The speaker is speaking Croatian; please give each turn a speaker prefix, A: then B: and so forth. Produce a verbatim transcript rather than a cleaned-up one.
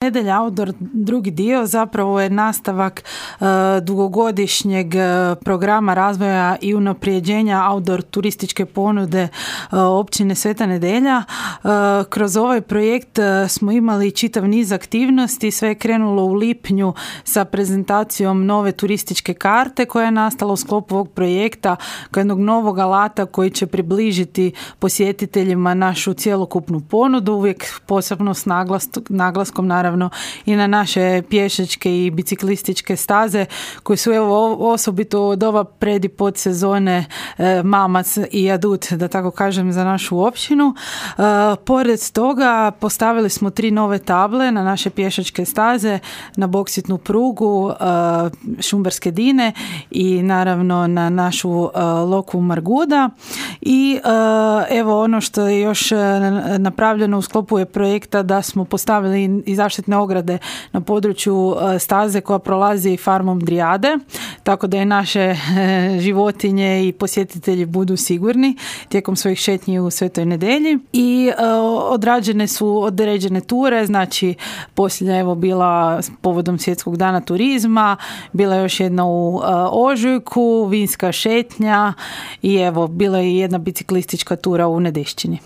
A: Nedelja Outdoor drugi dio zapravo je nastavak uh, dugogodišnjeg uh, programa razvoja i unaprijeđenja outdoor turističke ponude uh, općine Sveta Nedelja. Uh, kroz ovaj projekt uh, smo imali čitav niz aktivnosti. Sve je krenulo u lipnju sa prezentacijom nove turističke karte koja je nastala u sklopu ovog projekta kao jednog novog alata koji će približiti posjetiteljima našu cjelokupnu ponudu, uvijek posebno s naglas, naglaskom naravno i na naše pješačke i biciklističke staze koje su evo osobito od ova pred i pod sezone e, mamac i adut, da tako kažem, za našu općinu. E, pored toga postavili smo tri nove table na naše pješačke staze, na boksitnu prugu e, Šumberske Dine i naravno na našu e, Lokvu Marguda. I e, evo ono što je još napravljeno u sklopu je projekta da smo postavili i zaštitne ograde na području staze koja prolazi farmom Drijade, tako da i naše životinje i posjetitelji budu sigurni tijekom svojih šetnji u Svetoj Nedelji. I odrađene su određene ture, znači posljednja evo bila povodom Svjetskog dana turizma, bila je još jedna u ožujku, vinska šetnja i evo bila je jedna biciklistička tura u Nedešćini.